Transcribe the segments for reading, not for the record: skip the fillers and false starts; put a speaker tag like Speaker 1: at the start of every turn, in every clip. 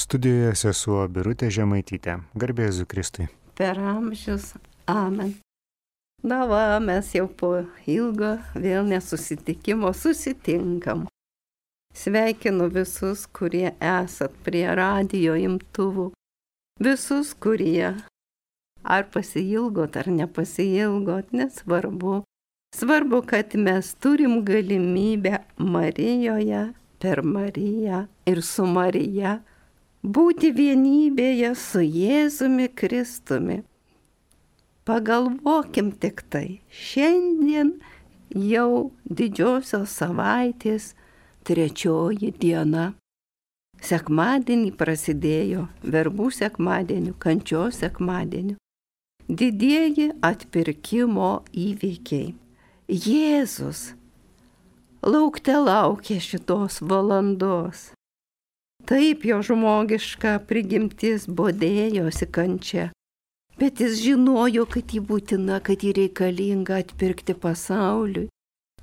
Speaker 1: Studijoje sesuo Birutė Žemaitytė. Garbė Jėzui Kristui.
Speaker 2: Per amžius. Amen. Na va, mes jau po ilgo vėl nesusitikimo susitinkam. Sveikinu visus, kurie esat prie radijo imtuvų. Visus, kurie ar pasiilgot, ar nepasiilgot, nesvarbu. Svarbu, kad mes turim galimybę Marijoje, per Mariją ir su Marija būti vienybėje su Jėzumi Kristumi. Pagalvokim tik tai, šiandien jau didžiosios savaitės 3 diena. Sekmadienį prasidėjo verbų sekmadieniu, kančios sekmadieniu. Didieji atpirkimo įvykiai. Jėzus laukte laukė šitos valandos. Taip jo žmogiška prigimtis bodėjosi kančia. Bet jis žinojo, kad jį būtina, kad jį reikalinga atpirkti pasauliui.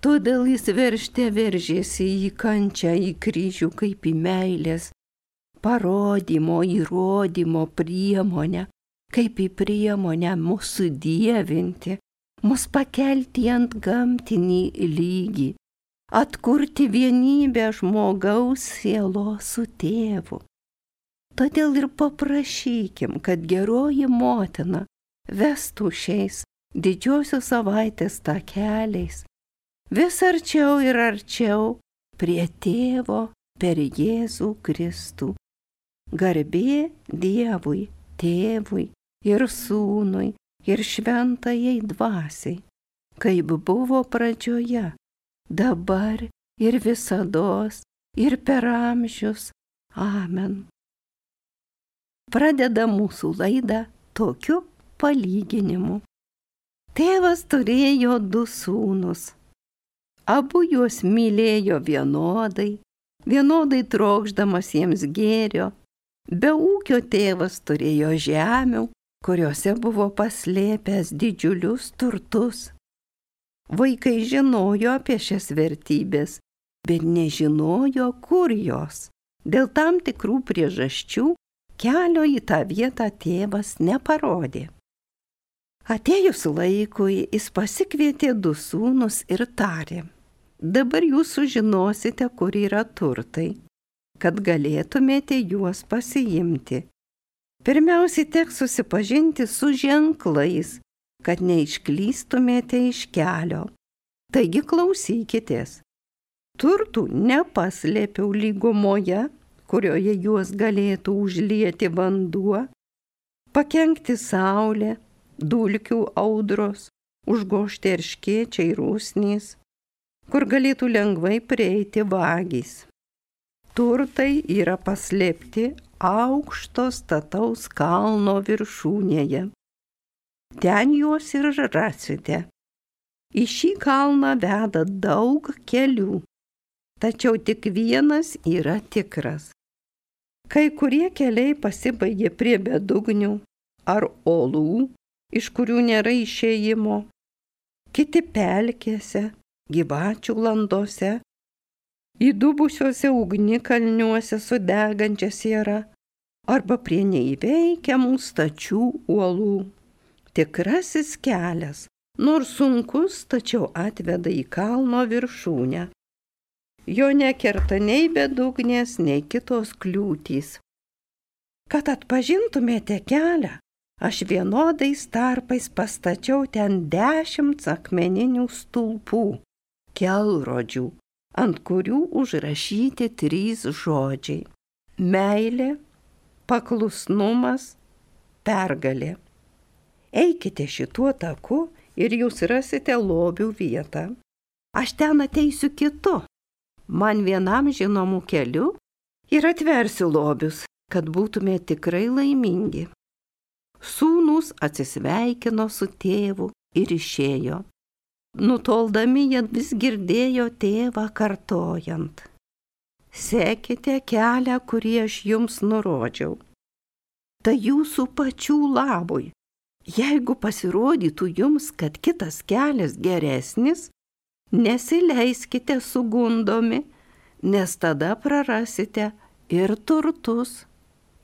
Speaker 2: Todėl jis veržėsi į kančią, į kryžių kaip į meilės parodymo, įrodymo priemonę, kaip į priemonę mūsų dievinti, mus pakelti ant gamtinį lygį, atkurti vienybę žmogaus sielos su tėvu. Todėl ir paprašykim, kad geroji motina vestų šiais didžiosios savaitės takeliais vis arčiau ir arčiau prie tėvo per Jėzų Kristų. Garbė Dievui, tėvui ir sūnui ir šventajai dvasiai, kaip buvo pradžioje, dabar ir visados ir per amžius. Amen. Pradeda mūsų laidą tokiu palyginimu. Tėvas turėjo 2 sūnus. Abu juos mylėjo vienodai trokšdamas jiems gėrio. Be ūkio tėvas turėjo žemių, kuriuose buvo paslėpęs didžiulius turtus. Vaikai žinojo apie šias vertybės, bet nežinojo, kur jos. Dėl tam tikrų priežasčių kelio į tą vietą tėvas neparodė. Atėjus laikui, jis pasikvietė 2 sūnus ir tarė: dabar jūs sužinosite, kur yra turtai, kad galėtumėte juos pasiimti. Pirmiausiai teks susipažinti su ženklais, kad neišklystumėte iš kelio. Taigi klausykitės. Turtų nepaslėpiau lygumoje, kurioje juos galėtų užlieti vanduo, pakenkti saulė, dulkių audros, užgožti erškėčiai ir usnys, kur galėtų lengvai prieiti vagys. Turtai yra paslėpti aukšto stataus kalno viršūnėje. Ten juos ir rasite. Į šį kalną veda daug kelių, tačiau tik vienas yra tikras. Kai kurie keliai pasibaigia prie bedugnių ar olų, iš kurių nėra išėjimo, kiti pelkėse, gyvačių landose, įdubusiuose ugnikalniuose su degančia siera arba prie neįveikiamų stačių uolų. Tikrasis kelias, nors sunkus, tačiau atveda į kalno viršūnę. Jo nekerta nei bedugnės, nei kitos kliūtys. Kad atpažintumėte kelią, aš vienodais tarpais pastačiau ten 10 akmeninių stulpų, kelrodžių, ant kurių užrašyti 3 žodžiai: meilė, paklusnumas, pergalė. Eikite šituo taku ir jūs rasite lobių vietą. Aš ten ateisiu kitu, man vienam žinomų keliu, ir atversiu lobius, kad būtume tikrai laimingi. Sūnūs atsisveikino su tėvu ir išėjo. Nutoldami jie vis girdėjo tėvą kartojant: sekite kelią, kurį aš jums nurodžiau. Tai jūsų pačių labui. Jeigu pasirodytų jums, kad kitas kelias geresnis, nesileiskite sugundomi, nes tada prarasite ir turtus,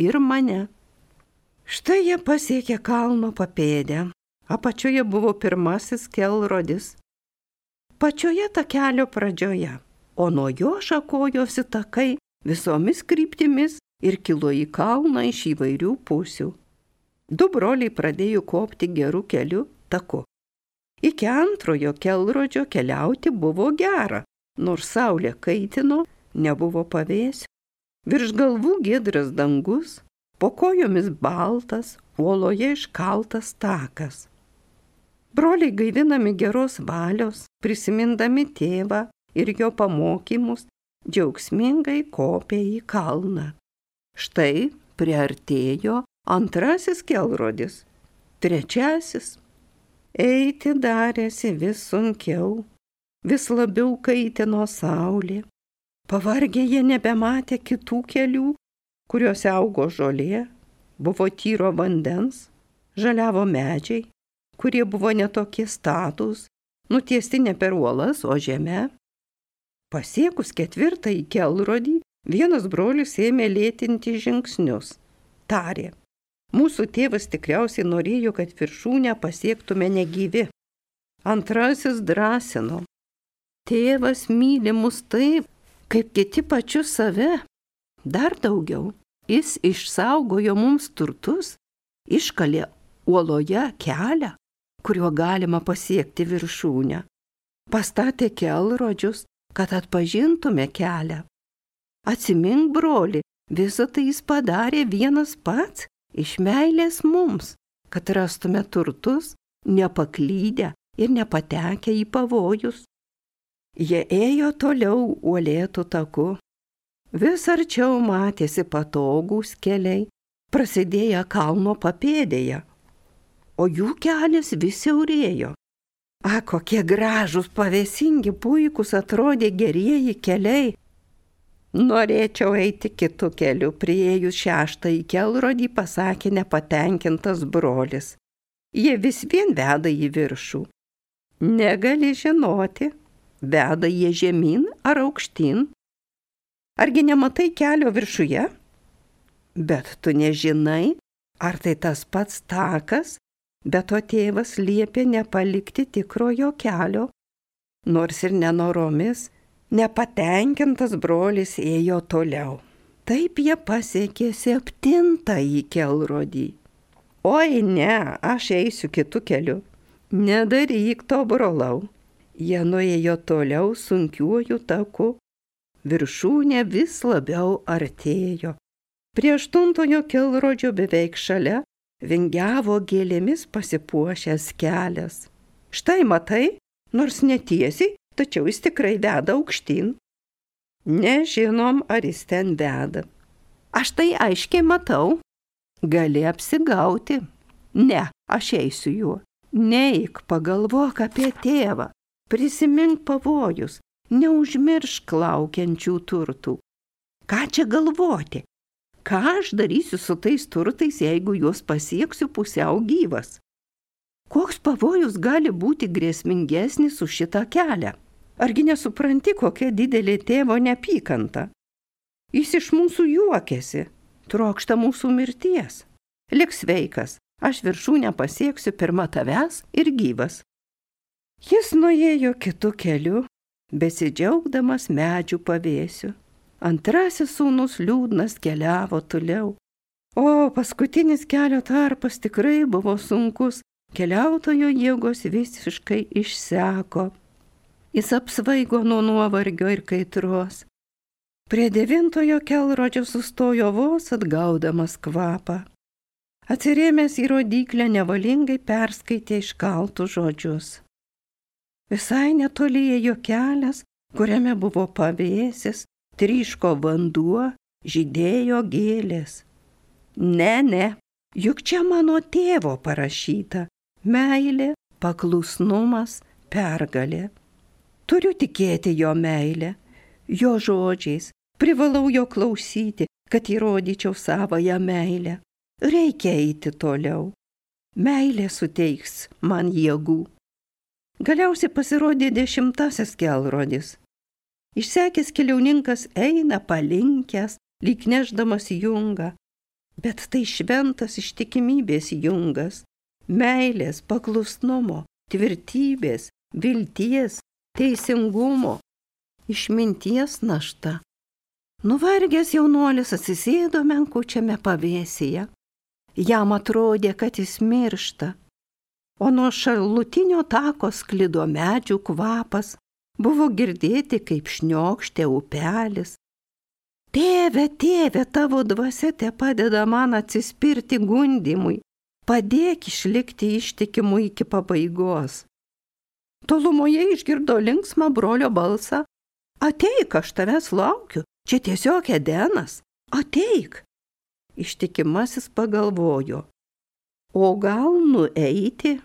Speaker 2: ir mane. Štai jie pasiekė kalno papėdę. Apačioje buvo pirmasis kelrodis. Pačioje takelio pradžioje, o nuo jo šakojosi takai visomis kryptimis ir kilo į kalną iš įvairių pusių. Du broliai pradėjo kopti gerų kelių taku. Iki antrojo kelrodžio keliauti buvo gera, nors saulė kaitino, nebuvo pavėsių. Virš galvų giedras dangus, po kojomis baltas, uoloje iškaltas takas. Broliai gaivinami geros valios, prisimindami tėvą ir jo pamokymus, džiaugsmingai kopė į kalną. Štai priartėjo antrasis kelrodis, trečiasis. Eiti darėsi vis sunkiau, vis labiau kaitino saulė. Pavargę jie nebematė kitų kelių, kuriuose augo žolė, buvo tyro vandens, žaliavo medžiai, kurie buvo netokie statūs, nutiesti ne per uolas, o žeme. Pasiekus ketvirtąjį kelrodį, vienas brolis ėmė lėtinti žingsnius. Tarė, mūsų tėvas tikriausiai norėjo, kad viršūnę pasiektume negyvi. Antrasis drąsino, tėvas myli mus taip, kaip kiti pačius save. Dar daugiau, jis išsaugojo mums turtus, iškalė uoloje kelią, kuriuo galima pasiekti viršūnę. Pastatė kelrodžius, kad atpažintume kelią. Atsimink, broli, visą tai jis padarė vienas pats, iš meilės mums, kad rastume turtus, nepaklydę ir nepatekę į pavojus. Jie ėjo toliau uolėtų taku. Vis arčiau matėsi patogūs keliai, prasidėję kalno papėdėje, o jų kelias vis siaurėjo. Kokie gražūs, pavėsingi, puikūs atrodė gerieji keliai. Norėčiau eiti kitu keliu, priėjus šeštąjį kelrodį, pasakė nepatenkintas brolis. Jie vis vien veda į viršų. Negali žinoti, veda jie žemyn ar aukštyn. Argi nematai kelio viršuje? Bet tu nežinai, ar tai tas pats takas, bet o tėvas liepė nepalikti tikrojo kelio. Nors ir nenoromis, nepatenkintas brolis ėjo toliau. Taip jie pasiekė septintąjį kelrodį. Oi ne, aš eisiu kitu keliu. Nedaryk to, brolau. Jie nuėjo toliau sunkiuoju taku. Viršūnė vis labiau artėjo. Prie aštuntojo kelrodžio beveik šalia vingiavo gėlėmis pasipuošęs kelias. Štai matai, nors netiesiai, tačiau jis tikrai veda aukštyn. Nežinom, ar jis ten veda. Aš tai aiškiai matau. Gali apsigauti. Ne, aš eisiu juo. Neik, pagalvok apie tėvą. Prisimink pavojus. Neužmiršk laukiančių turtų. Ką čia galvoti? Ką aš darysiu su tais turtais, jeigu juos pasieksiu pusiau gyvas? Koks pavojus gali būti grėsmingesnis už šitą kelią? Argi nesupranti, kokia didelė tėvo neapykanta? Jis iš mūsų juokiasi, trokšta mūsų mirties. Lik sveikas, aš viršūnę pasieksiu pirma tavęs ir gyvas. Jis nuėjo kitu keliu, besidžiaugdamas medžių pavėsiu. Antrasis sūnus liūdnas keliavo toliau. O paskutinis kelio tarpas tikrai buvo sunkus, keliautojo jėgos visiškai išseko. Jis apsvaigo nuo nuovargio ir kaitros. Prie 9 kelrodžio sustojo vos atgaudamas kvapą. Atsirėmęs į rodyklę nevalingai perskaitė iškaltus žodžius. Visai netoli ėjo kelias, kuriame buvo pavėsis, tryško vanduo, žydėjo gėlės. Ne, juk čia mano tėvo parašyta. Meilė, paklusnumas, pergalė. Turiu tikėti jo meilę, jo žodžiais, privalau jo klausyti, kad įrodyčiau savąją meilę. Reikia eiti toliau. Meilė suteiks man jėgų. Galiausiai pasirodė 10 kelrodis. Išsekęs keliauninkas eina palinkęs, lyg nešdamas jungą. bet tai šventas ištikimybės jungas, meilės, paklusnumo, tvirtybės, vilties, teisingumo, išminties našta. Nuvargęs jaunuolis atsisėdo menkučiame pavėsyje. Jam atrodė, kad jis miršta, o nuo šalutinio tako sklido medžių kvapas, buvo girdėti, kaip šniokštė upelis. Tėve, tėve, tavo dvasia te padeda man atsispirti gundymui, padėk išlikti ištikimu iki pabaigos. Tolumoje išgirdo linksmą brolio balsą. Ateik, aš tavęs laukiu, čia tiesiog Edenas, ateik. Ištikimasis pagalvojo, o gal nueiti?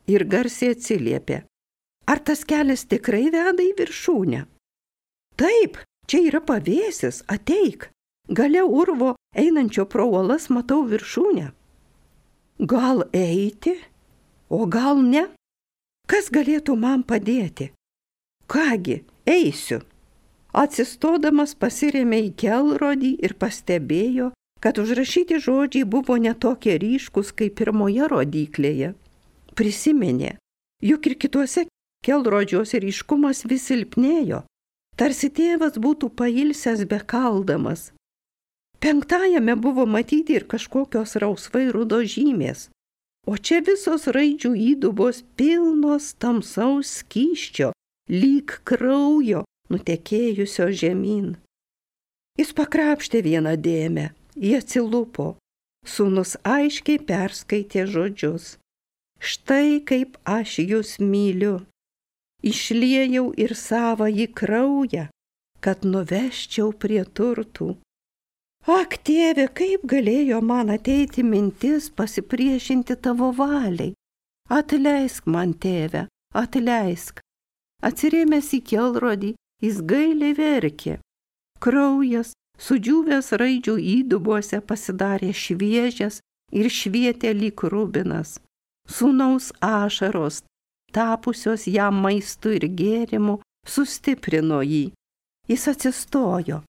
Speaker 2: Ir garsiai atsiliepė, ar tas kelias tikrai veda į viršūnę? Taip, čia yra pavėsis, ateik, gale urvo einančio pro uolas matau viršūnę. Gal eiti, o gal ne? Kas galėtų man padėti? Kągi, eisiu. Atsistodamas pasirėmė į kelrodį ir pastebėjo, kad užrašyti žodžiai buvo netokie ryškus kaip pirmoje rodyklėje. Prisiminė, juk ir kituose kelrodžiuose ryškumas vis silpnėjo, tarsi tėvas būtų pailsęs bekaldamas. 5 buvo matyti ir kažkokios rausvai rudos žymės, o čia visos raidžių įdubos pilnos tamsaus skysčio, lyg kraujo nutekėjusio žemyn. Jis pakrapštė vieną dėmę, jį atsilupo, sūnus aiškiai perskaitė žodžius. Štai kaip aš jūs myliu, išliejau ir savąjį kraują, kad nuveščiau prie turtų. Ak, tėve, kaip galėjo man ateiti mintis pasipriešinti tavo valiai? Atleisk man, tėve, atleisk. Atsirėmęs į kelrodį, jis gailiai verkė. Kraujas, sudžiūvęs raidžių įdubuose pasidarė šviežias ir švietė lyg rubinas. Sūnaus ašaros, tapusios jam maistu ir gėrimu, sustiprino jį. Jis atsistojo.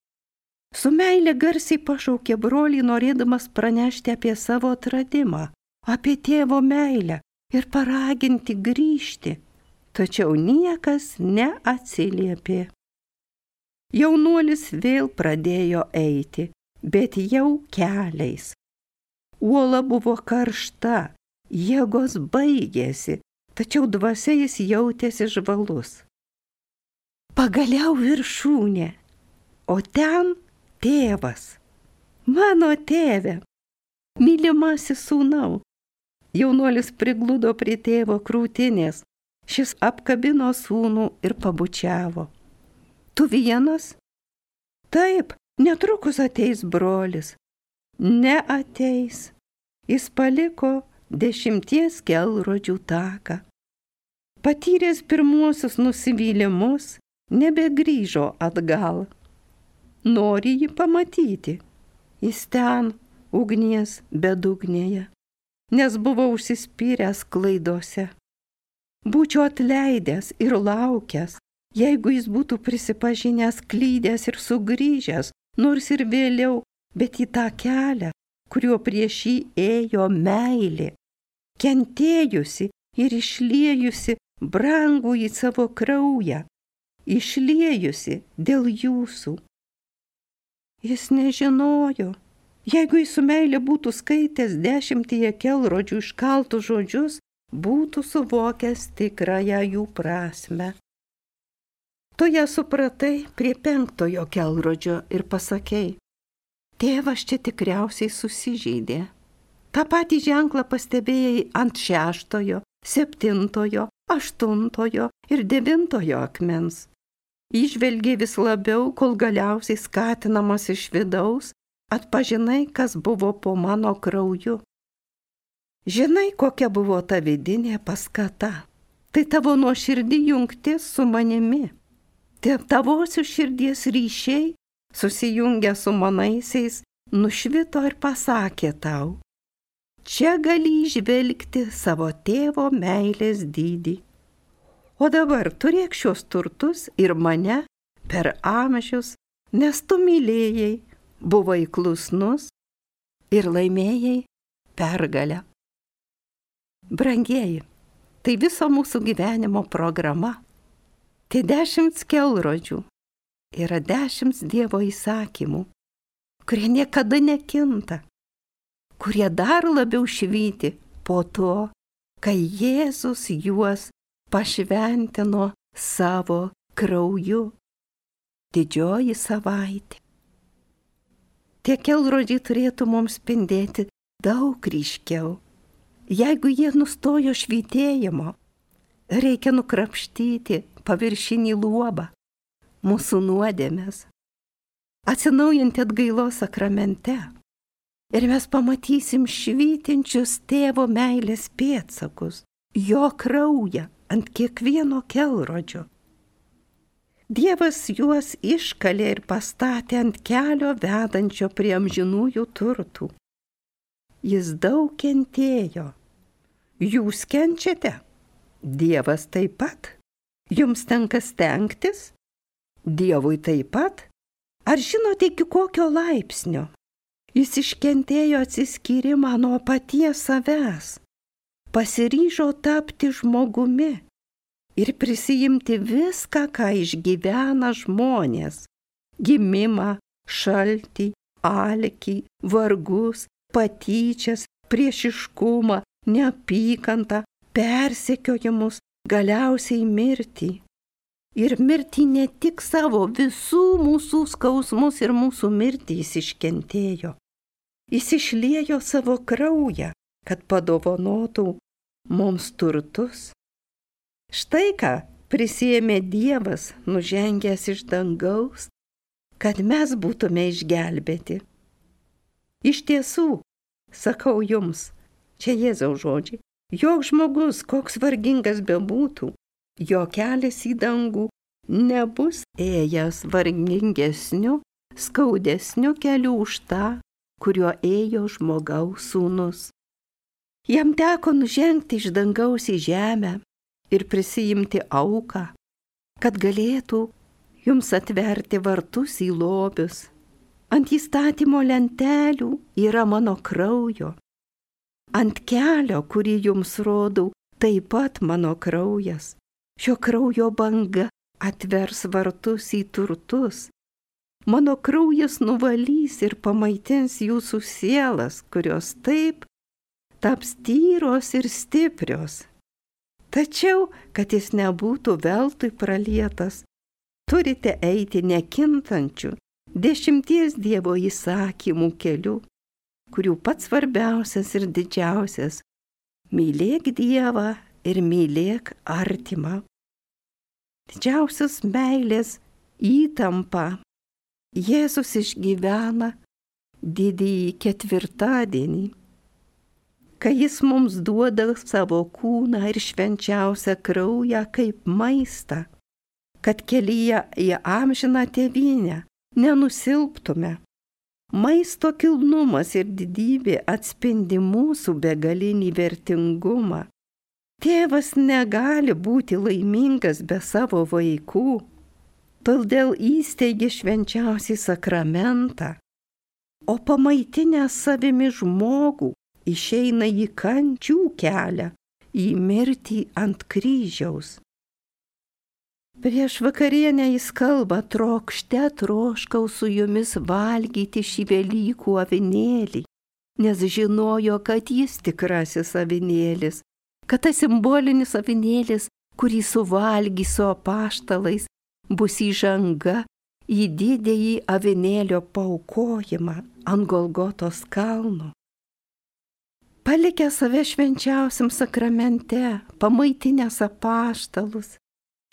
Speaker 2: Su meile garsiai pašaukė brolį, norėdamas pranešti apie savo atradimą, apie tėvo meilę ir paraginti grįžti. Tačiau niekas neatsiliepė. Jaunuolis vėl pradėjo eiti, bet jau keliais. Uola buvo karšta, jėgos baigėsi, tačiau dvasia jis jautėsi žvalus. Pagaliau viršūnė, o ten tėvas. Mano tėve, mylimasis sūnau. Jaunuolis prigludo prie tėvo krūtinės, šis apkabino sūnų ir pabučiavo. Tu vienas? Taip, netrukus ateis brolis. Neateis. Jis paliko 10 kelrodžių taką. Patyręs pirmuosius nusivylimus, nebegrįžo atgal. Nori jį pamatyti. Jis ten, ugnies bedugnėje, nes buvo užsispyręs klaidose. Būčiau atleidęs ir laukęs, jeigu jis būtų prisipažinęs, klydęs ir sugrįžęs, nors ir vėliau, bet į tą kelią, kuriuo prieš jį ėjo meilė, kentėjusi ir išliejusi brangų į savo kraują, išliejusi dėl jūsų. Jis nežinojo, jeigu jis su meilė būtų skaitęs 10 kelrodžių iškaltų žodžius, būtų suvokęs tikrąją jų prasmę. Tu ją supratai prie 5 kelrodžio ir pasakei, tėvas čia tikriausiai susižeidė. Ta patį ženklą pastebėjai ant 6, 7, 8 ir 9 akmens. Įžvelgiai vis labiau, kol galiausiai skatinamas iš vidaus, atpažinai, kas buvo po mano krauju. Žinai, kokia buvo ta vidinė paskata. Tai tavo nuoširdį jungtis su manimi. Tavosios širdies ryšiai, susijungę su manaisiais, nušvito ir pasakė tau, čia gali įžvelgti savo tėvo meilės dydį. O dabar turėk šios turtus ir mane per amžius, nes tu mylėjai, buvai klusnus, ir laimėjai pergalę. Brangieji, tai viso mūsų gyvenimo programa. Tai 10 kelrodžių yra 10 Dievo įsakymų, kurie niekada nekinta, kurie dar labiau švyti po to, kai Jėzus juos pašventino savo krauju. Didžioji savaitė. Tie kelrodžiai turėtų mums spindėti daug ryškiau. Jeigu jie nustojo švytėjimo, reikia nukrapštyti paviršinį luobą, mūsų nuodėmes, atsinaujinti atgailos sakramente. Ir mes pamatysim švytinčius tėvo meilės pėdsakus, jo kraują ant kiekvieno kelrodžio. Dievas juos iškalė ir pastatė ant kelio vedančio prie amžinųjų turtų. Jis daug kentėjo. Jūs kenčiate? Dievas taip pat. Jums tenka stengtis? Dievui taip pat. Ar žinote iki kokio laipsnio? Jis iškentėjo atsiskyrimą nuo paties savęs. Pasiryžo tapti žmogumi ir prisijimti viską, ką išgyvena žmonės. Gimimą, šaltį, alkį, vargus, patyčias, priešiškumą, neapykantą, persekiojimus, galiausiai mirtį. Ir mirtį ne tik savo, visų mūsų skausmus ir mūsų mirtį jis iškentėjo. Jis išliejo savo kraują, kad padovanotų mums turtus. Štai ką prisiėmė Dievas, nužengęs iš dangaus, kad mes būtume išgelbėti. Iš tiesų, sakau jums, čia Jėzaus žodžiai, joks žmogus, koks vargingas bebūtų, jo kelias į dangų nebus ėjęs vargingesniu, skaudesniu keliu už tą, kuriuo ėjo žmogaus sūnus. Jam teko nužengti iš dangaus į žemę ir prisijimti auką, kad galėtų jums atverti vartus į lobius. Ant įstatymo lentelių yra mano kraujo. Ant kelio, kurį jums rodau, taip pat mano kraujas. Šio kraujo banga atvers vartus į turtus. Mano kraujas nuvalys ir pamaitins jūsų sielas, kurios taip taps tyros ir stiprios. Tačiau, kad jis nebūtų veltui pralietas, turite eiti nekintančiu 10 Dievo įsakymų keliu, kurių pats svarbiausias ir didžiausias – mylėk Dievą ir mylėk artimą. Didžiausios meilės įtampa Jėzus išgyvena didįjį ketvirtadienį, kai jis mums duoda savo kūną ir švenčiausią kraują kaip maistą, kad kelyje į amžiną tėvynę nenusilptume. Maisto kilnumas ir didybė atspindi mūsų begalinį vertingumą. Tėvas negali būti laimingas be savo vaikų, todėl įsteigė švenčiausią sakramentą, o pamaitinęs savimi žmogų išeina į kančių kelią, į mirtį ant kryžiaus. Prieš vakarienę jis kalba, trokšte troškau su jumis valgyti šį Velykų avinėlį, nes žinojo, kad jis tikrasis avinėlis, kad tas simbolinis avinėlis, kurį suvalgys su apaštalais, bus įžanga į didįjį avinėlio paaukojimą ant Golgotos kalno. Palikę save švenčiausiam sakramente, pamaitinęs apaštalus,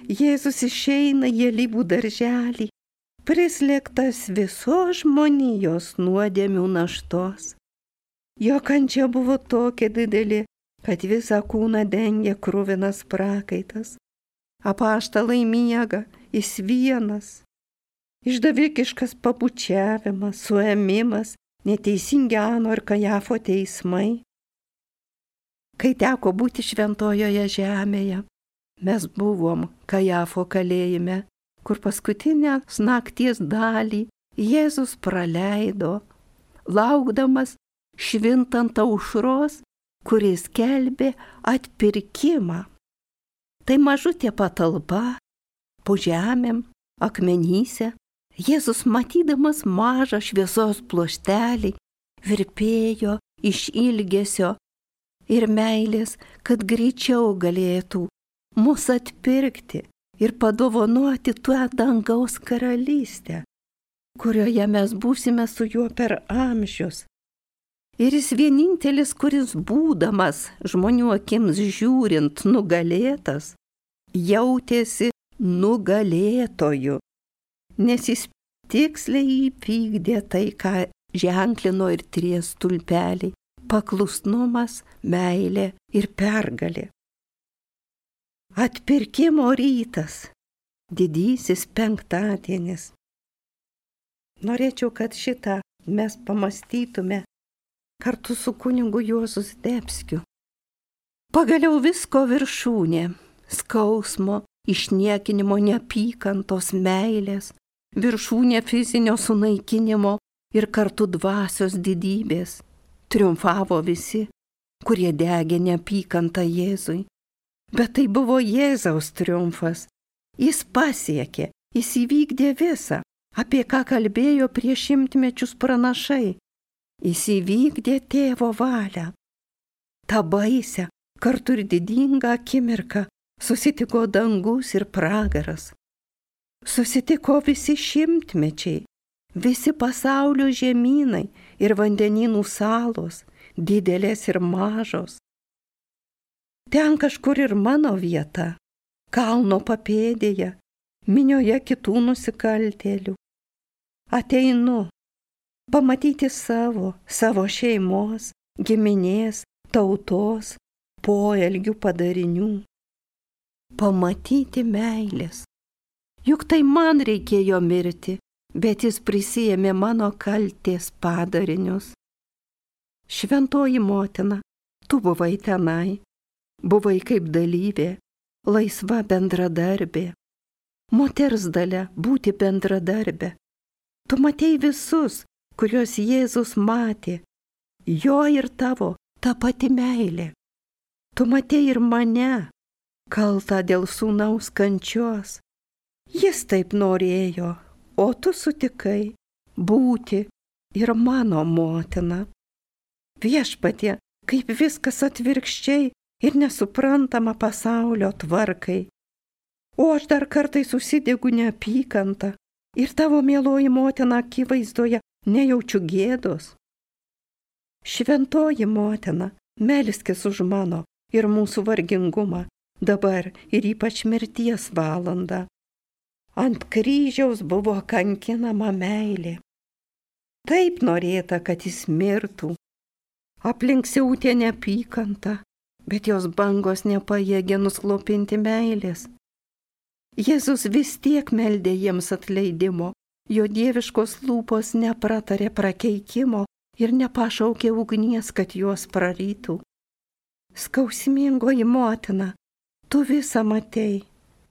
Speaker 2: Jėzus išeina į alyvų darželį, prislėgtas visos žmonijos nuodėmių naštos. Jo kančia buvo tokia didelė, kad visą kūną dengė kruvinas prakaitas. Apaštalai miega, jis vienas. Išdavikiškas pabučiavimas, suėmimas, neteisingi Ano ir Kajafo teismai. Kai teko būti šventojoje žemėje, mes buvom Kajafo kalėjime, kur paskutinę nakties dalį Jėzus praleido, laukdamas švintant aušros, kuris skelbė atpirkimą. Tai mažutė patalpa, po žemėm, akmenyse, Jėzus matydamas mažą šviesos pluoštelį, virpėjo iš ilgesio ir meilės, kad greičiau galėtų mus atpirkti ir padovanoti tuo dangaus karalystę, kurioje mes būsime su juo per amžius. Ir jis vienintelis, kuris būdamas žmonių akims žiūrint nugalėtas, jautėsi nugalėtoju, nes jis tiksliai įvykdė tai, ką ženklino ir trys stulpeliai – paklusnumas, meilė ir pergalė. Atpirkimo rytas, didysis penktadienis. Norėčiau, kad šitą mes pamąstytume kartu su kunigu Juozu Zdebskiu. Pagaliau visko viršūnė – skausmo, išniekinimo, neapykantos, meilės, viršūnė fizinio sunaikinimo ir kartu dvasios didybės. Triumfavo visi, kurie degė neapykantą Jėzui. Bet tai buvo Jėzaus triumfas. Jis pasiekė, jis įvykdė visą, apie ką kalbėjo prieš 100 mečius pranašai. Jis įvykdė tėvo valią. Ta baisę, kartu ir didingą akimirką susitiko dangus ir pragaras. Susitiko visi šimtmečiai, visi pasaulio žemynai ir vandenynų salos, didelės ir mažos. Ten kažkur ir mano vieta, kalno papėdėje, minioje kitų nusikaltėlių. Ateinu pamatyti savo šeimos, giminės, tautos, poelgių padarinių. Pamatyti meilės. Juk tai man reikėjo mirti, bet jis prisiėmė mano kaltės padarinius. Šventoji motina, tu buvai tenai, buvai kaip dalyvė, laisva bendradarbė. Moters dalia būti bendradarbė. Tu matei visus, kuriuos Jėzus matė, jo ir tavo ta pati meilė. Tu matei ir mane, kaltą dėl sūnaus kančios. Jis taip norėjo, o tu sutikai būti ir mano motina. Viešpatie, kaip viskas atvirkščiai ir nesuprantama pasaulio tvarkai. O aš dar kartais susidegu neapykantą ir tavo mieloji motina akivaizdoje nejaučiu gėdos. Šventoji motina, melskis už mano ir mūsų vargingumą, dabar ir ypač mirties valandą. Ant kryžiaus buvo kankinama meilė. Taip norėta, kad jis mirtų. Aplink siautė neapykanta, bet jos bangos nepajėgė nuslopinti meilės. Jėzus vis tiek meldė jiems atleidimo, jo dieviškos lūpos nepratarė prakeikimo ir nepašaukė ugnies, kad juos prarytų. Skausmingoji motina, tu visą matei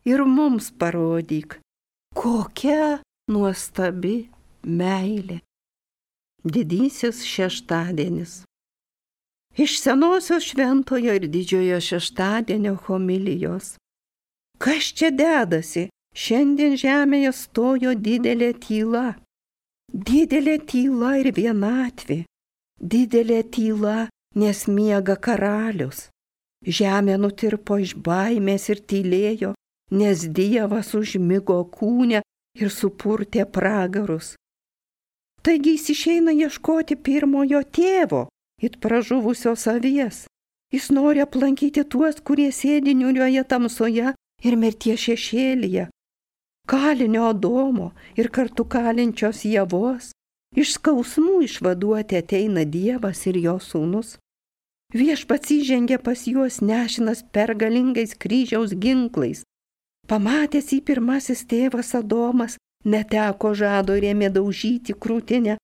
Speaker 2: ir mums parodyk, kokia nuostabi meilė. Didysis šeštadienis. Iš senosios šventojo ir didžiojo šeštadienio homilijos. Kas čia dedasi? Šiandien žemėje stojo didelė tyla. Didelė tyla ir vienatvė. Didelė tyla, nes miega karalius. Žemė nutirpo iš baimės ir tylėjo, nes Dievas užmigo kūne ir supurtė pragarus. Taigi jis išeina ieškoti pirmojo tėvo, it pražuvusios avies. Jis nori aplankyti tuos, kurie sėdi niūrioje tamsoje ir mirties šešėlyje. Kalinio Adomo ir kartu kalinčios Ievos. Iš skausmų išvaduoti ateina Dievas ir jo sūnus. Viešpats įžengė pas juos nešinas pergalingais kryžiaus ginklais. Pamatęs jį pirmasis tėvas Adomas, neteko žado ir ėmė daužyti krūtinę.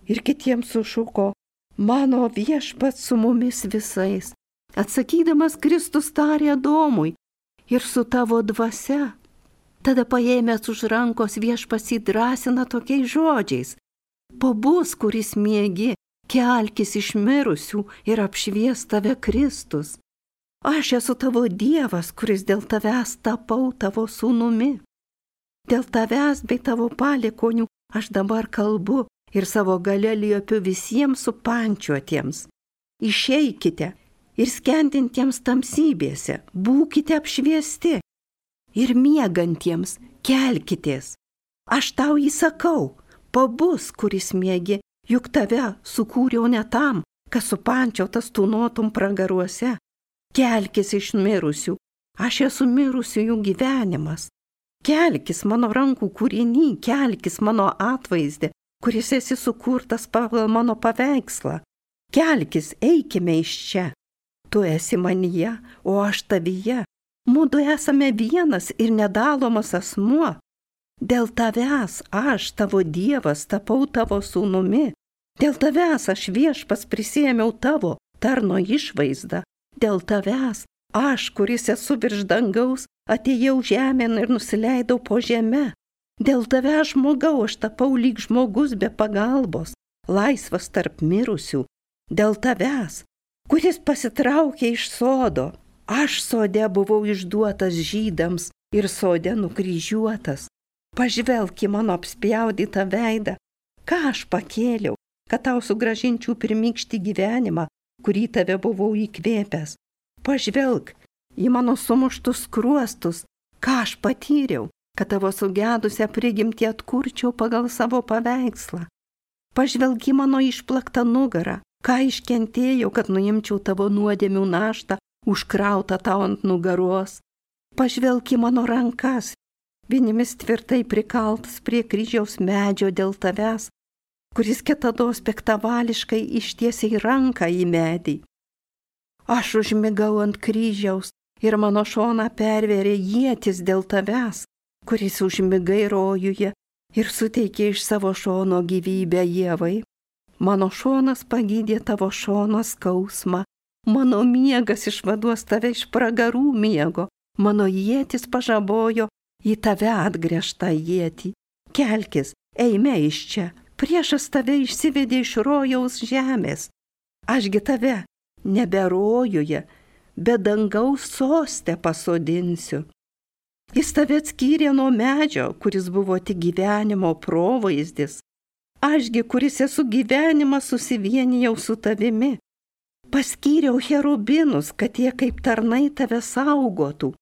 Speaker 2: Ir kitiems sušuko, mano viešpats su mumis visais. Atsakydamas Kristus tarė Adomui, ir su tavo dvasia. Tada paėmęs už rankos viešpats jį drąsina tokiais žodžiais. Pabus, kuris miegi, kelkis iš mirusių ir apšvies tave Kristus. Aš esu tavo Dievas, kuris dėl tavęs tapau tavo sūnumi. Dėl tavęs bei tavo palikuonių aš dabar kalbu ir savo galia liepiu visiems supančiuotiems. Išeikite ir skendintiems tamsybėse, būkite apšviesti. Ir miegantiems kelkitės. Aš tau įsakau, pabus, kuris miegi, juk tave sukūriau ne tam, kad supančiotas tūnotum pragaruose. Kelkis iš mirusių, aš esu mirusiųjų gyvenimas. Kelkis mano rankų kūriny, kelkis mano atvaizde, kuris esi sukurtas pagal mano paveikslą. Kelkis, eikime iš čia. Tu esi manyje, o aš tavyje. Mudu esame vienas ir nedalomas asmuo. Dėl tavęs aš, tavo Dievas, tapau tavo sūnumi. Dėl tavęs aš Viešpats prisėmiau tavo tarno išvaizdą. Dėl tavęs aš, kuris esu virš dangaus, atėjau žemėn ir nusileidau po žemę. Dėl tavęs žmogau aš tapau lyg žmogus be pagalbos, laisvas tarp mirusių. Dėl tavęs, kuris pasitraukė iš sodo. Aš sode buvau išduotas žydams ir sode nukryžiuotas. Pažvelk į mano apspjaudytą veidą, ką aš pakėliau, kad tau sugrąžinčiau pirmykštį gyvenimą, kurį tave buvau įkvėpęs. Pažvelk į mano sumuštus skruostus, ką aš patyriau, kad tavo sugedusią prigimtį atkurčiau pagal savo paveikslą. Pažvelk į mano išplaktą nugarą, ką iškentėjau, kad nuimčiau tavo nuodėmių naštą, užkrautą tau ant nugaros. Pažvelk į mano rankas, vienimis tvirtai prikaltas prie kryžiaus medžio dėl tavęs, kuris kitados piktavališkai ištiesiai ranką į medį. Aš užmigau ant kryžiaus ir mano šoną pervėrė ietis dėl tavęs, kuris užmigai rojuje ir suteikė iš savo šono gyvybę Ievai. Mano šonas pagydė tavo šono skausmą. Mano miegas išvaduos tave iš pragarų miego, mano ietis pažabojo į tave atgręžtą ietį. Kelkis, eime iš čia, priešas tave išsivedė iš rojaus žemės. Ašgi tave nebe rojuje, bet dangaus soste pasodinsiu. Jis tave atskyrė nuo medžio, kuris buvo tik gyvenimo provaizdis. Ašgi, kuris esu gyvenimas, susivienijau su tavimi. Paskyriau cherubinus, kad jie kaip tarnai tave saugotų,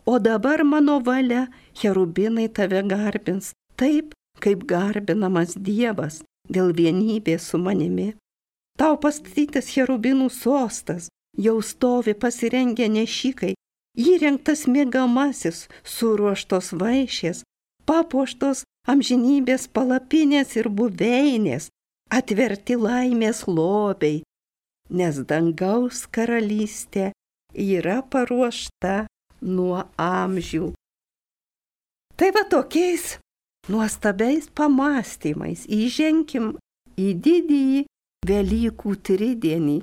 Speaker 2: o dabar mano valia cherubinai tave garbins, taip kaip garbinamas Dievas dėl vienybės su manimi. Tau pastatytas cherubinų sostas, jau stovi pasirengę nešikai, įrengtas miegamasis, suruoštos vaišės, papuoštos amžinybės palapinės ir buveinės, atverti laimės lobiai, nes dangaus karalystė yra paruošta nuo amžių. Tai va tokiais nuostabiais pamąstymais įženkim į didįjį Velykų tridienį.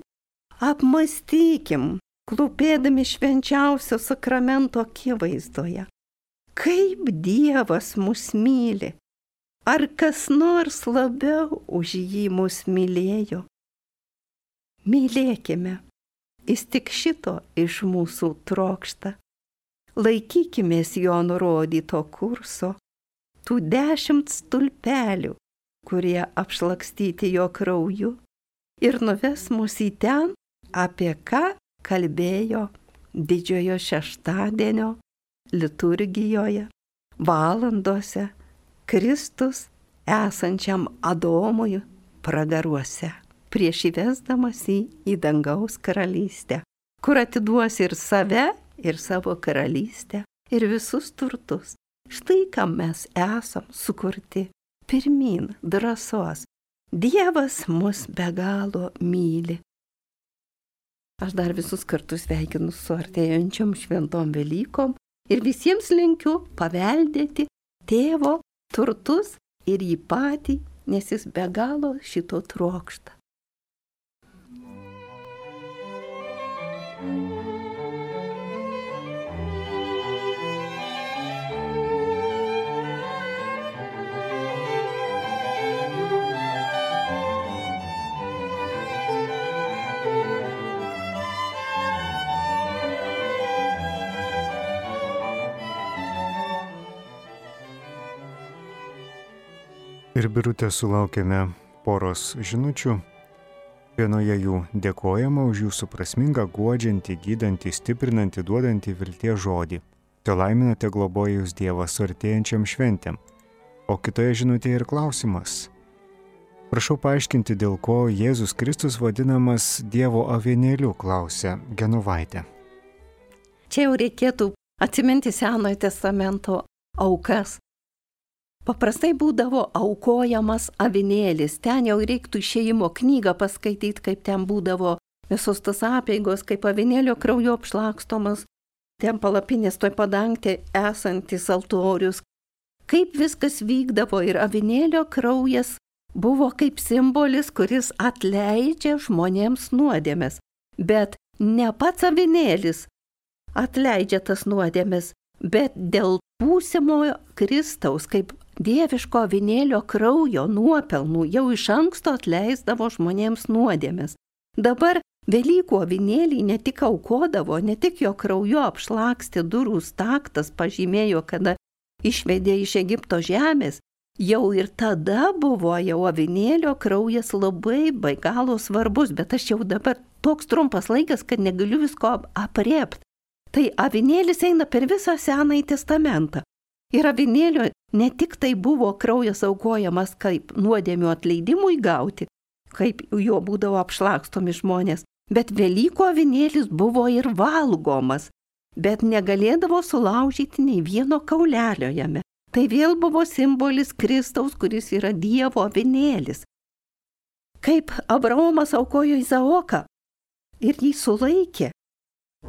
Speaker 2: Apmąstykim, klūpėdami švenčiausio sakramento akivaizdoje, kaip Dievas mus myli, ar kas nors labiau už jį mus mylėjo. Mylėkime, jis tik šito iš mūsų trokšta. Laikykimės jo nurodyto kurso, tų 10 stulpelių, kurie apšlakstyti jo krauju, ir nuves mus į ten, apie ką kalbėjo didžiojo šeštadienio liturgijoje, valandose Kristus esančiam Adomui pragaruose, prieš įvesdamas į dangaus karalystę, kur atiduos ir save, ir savo karalystę, ir visus turtus. Štai kam mes esam sukurti. Pirmyn drąsos. Dievas mus be galo myli. Aš dar visus kartus sveikinu su artėjančiom šventom Velykom ir visiems linkiu paveldėti tėvo turtus ir jį patį, nes jis be galo šito trokšta.
Speaker 1: ir Birutė sulaukėme poros žinučių. Vienoje jų dėkojama už jūsų prasmingą, guodžiantį, gydantį, stiprinantį, duodantį vilties žodį. Te laiminate globoja jūs Dievas su artėjančiam šventėm. O kitoje žinutėje ir klausimas. Prašau paaiškinti, dėl ko Jėzus Kristus vadinamas Dievo avinėliu, klausia Genovaitė.
Speaker 2: Čia jau reikėtų atsiminti Senojo testamento aukas. Paprastai būdavo aukojamas avinėlis. Ten jau reiktų Išėjimo knygą paskaityti, kaip ten būdavo visos tas apeigos, kaip avinėlio krauju apšlakstomas, ten palapinės toj padangtė esantis altorius. Kaip viskas vykdavo ir avinėlio kraujas buvo kaip simbolis, kuris atleidžia žmonėms nuodėmes. Bet ne pats avinėlis atleidžia tas nuodėmes, bet dėl būsimojo Kristaus, kaip dieviško avinėlio kraujo nuopelnų jau iš anksto atleisdavo žmonėms nuodėmes. Dabar Velykų avinėliai ne tik aukodavo, ne tik jo krauju apšlakstė durų staktas, pažymėjo, kada išvedė iš Egipto žemės, jau ir tada buvo jau avinėlio kraujas labai be galo svarbus, bet aš jau dabar toks trumpas laikas, kad negaliu visko aprėpti. Tai avinėlis eina per visą Senąjį testamentą. Ir avinėlio ne tik tai buvo kraujas aukojamas kaip nuodėmių atleidimui gauti, kaip jo būdavo apšlakstomi žmonės, bet Velykų avinėlis buvo ir valgomas, bet negalėdavo sulaužyti nei vieno kaulelio jame. Tai vėl buvo simbolis Kristaus, kuris yra Dievo avinėlis. Kaip Abraomas aukojo Izaoką ir jį sulaikė,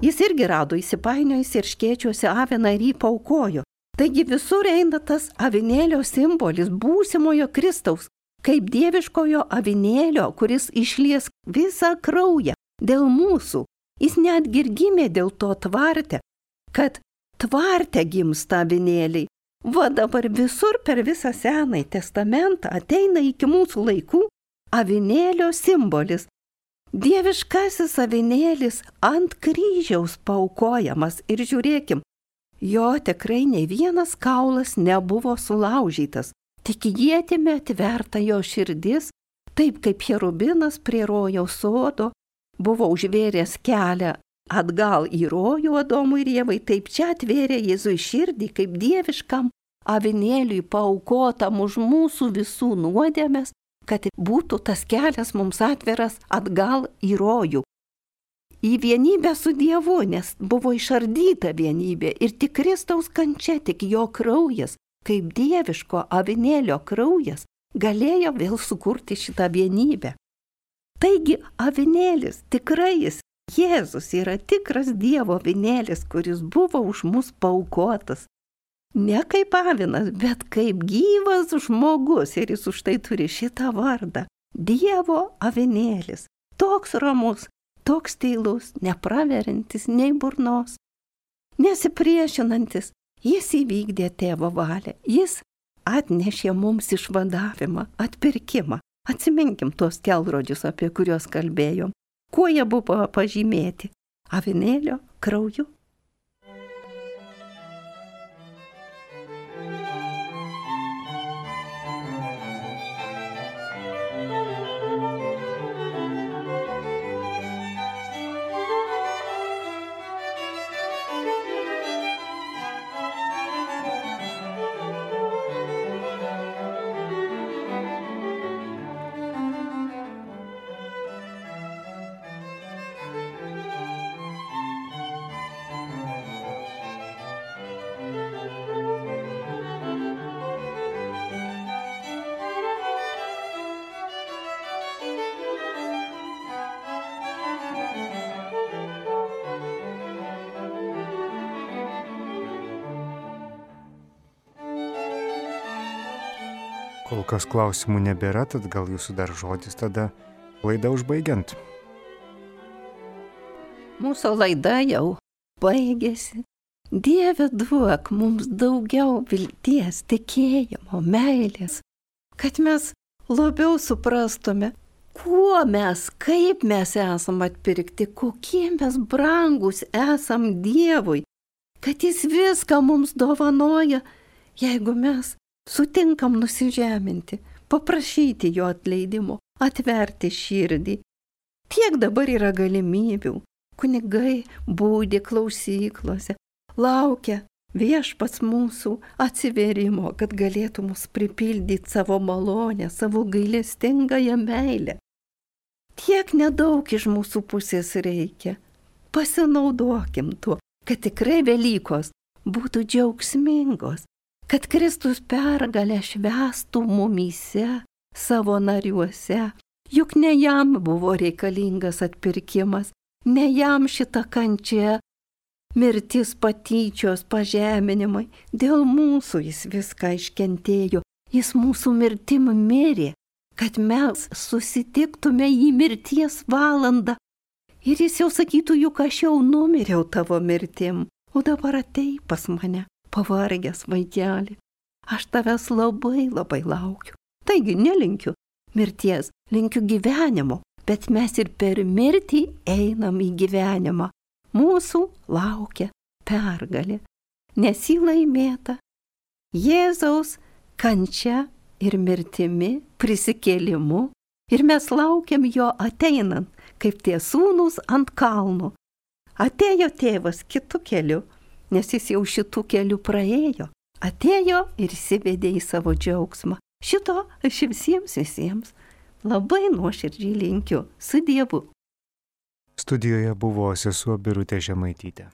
Speaker 2: jis irgi rado įsipainiojus ir škėčiuose aviną ir jį paaukojo. Taigi visur eina tas avinėlio simbolis būsimojo Kristaus, kaip dieviškojo avinėlio, kuris išlies visą kraują dėl mūsų. Jis netgi ir gimė dėl to tvarte, kad tvarte gimsta avinėliai. Va dabar visur per visą Senąjį testamentą ateina iki mūsų laikų avinėlio simbolis. Dieviškasis avinėlis ant kryžiaus paaukojamas ir žiūrėkim, jo tikrai nei vienas kaulas nebuvo sulaužytas, tik ietimi atverta jo širdis, taip kaip cherubinas prie rojaus sodo buvo užvėręs kelią atgal į rojų Adomui ir Ievai, taip čia atvėrė Jėzui širdį kaip dieviškam avinėliui paaukotam už mūsų visų nuodėmes, kad būtų tas kelias mums atveras atgal į rojų. Į vienybę su Dievu, nes buvo išardyta vienybė ir tik Kristaus kančia, tik jo kraujas, kaip dieviško avinėlio kraujas, galėjo vėl sukurti šitą vienybę. Taigi avinėlis, tikrai jis, Jėzus yra tikras Dievo avinėlis, kuris buvo už mus paaukotas. Ne kaip avinas, bet kaip gyvas žmogus ir jis už tai turi šitą vardą. Dievo avinėlis, toks ramus, toks tylus, nepraverintis nei burnos, nesipriešinantis, jis įvykdė tėvo valią, jis atnešė mums išvadavimą, atpirkimą. Atsiminkim tuos kelrodžius, apie kuriuos kalbėjom. Kuo jie buvo pažymėti? Avinėlio krauju.
Speaker 1: Kol kas klausimų nebėra, tad gal jūsų dar žodis tada laidą užbaigiant.
Speaker 2: Mūsų laida jau baigėsi. Dieve, duok mums daugiau vilties, tikėjimo, meilės, kad mes labiau suprastume, kuo mes, kaip mes esam atpirkti, kokie mes brangus esam Dievui, kad jis viską mums dovanoja, jeigu mes sutinkam nusižeminti, paprašyti jo atleidimo, atverti širdį. Tiek dabar yra galimybių. Kunigai būdi klausyklose, laukia viešpats mūsų atsivėrimo, kad galėtų mus pripildyti savo malonę, savo gailestingąją meilę. Tiek nedaug iš mūsų pusės reikia. Pasinaudokim tuo, kad tikrai Velykos būtų džiaugsmingos, kad Kristus pergalę švęstų mumyse, savo nariuose. Juk ne jam buvo reikalingas atpirkimas, ne jam šita kančia, mirtis, patyčios, pažeminimai. Dėl mūsų jis viską iškentėjo, jis mūsų mirtim mirė, kad mes susitiktume į mirties valandą. Ir jis jau sakytų, juk aš jau numiriau tavo mirtim, o dabar atei pas mane, pavargęs vaikeli. Aš tavęs labai laukiu. Taigi nelinkiu mirties, linkiu gyvenimo, bet mes ir per mirtį einam į gyvenimą. Mūsų laukia pergalė, nes jį laimėta Jėzaus kančia ir mirtimi, prisikėlimu, ir mes laukiam jo ateinant, kaip tie sūnūs ant kalnų. Atėjo tėvas kitu keliu, nes jis jau šitų kelių praėjo. Atėjo ir įsivedė į savo džiaugsmą. Šito aš visiems labai nuoširdžiai linkiu. Su Dievu.
Speaker 1: Studijoje buvo sesuo Birutė Žemaitytė.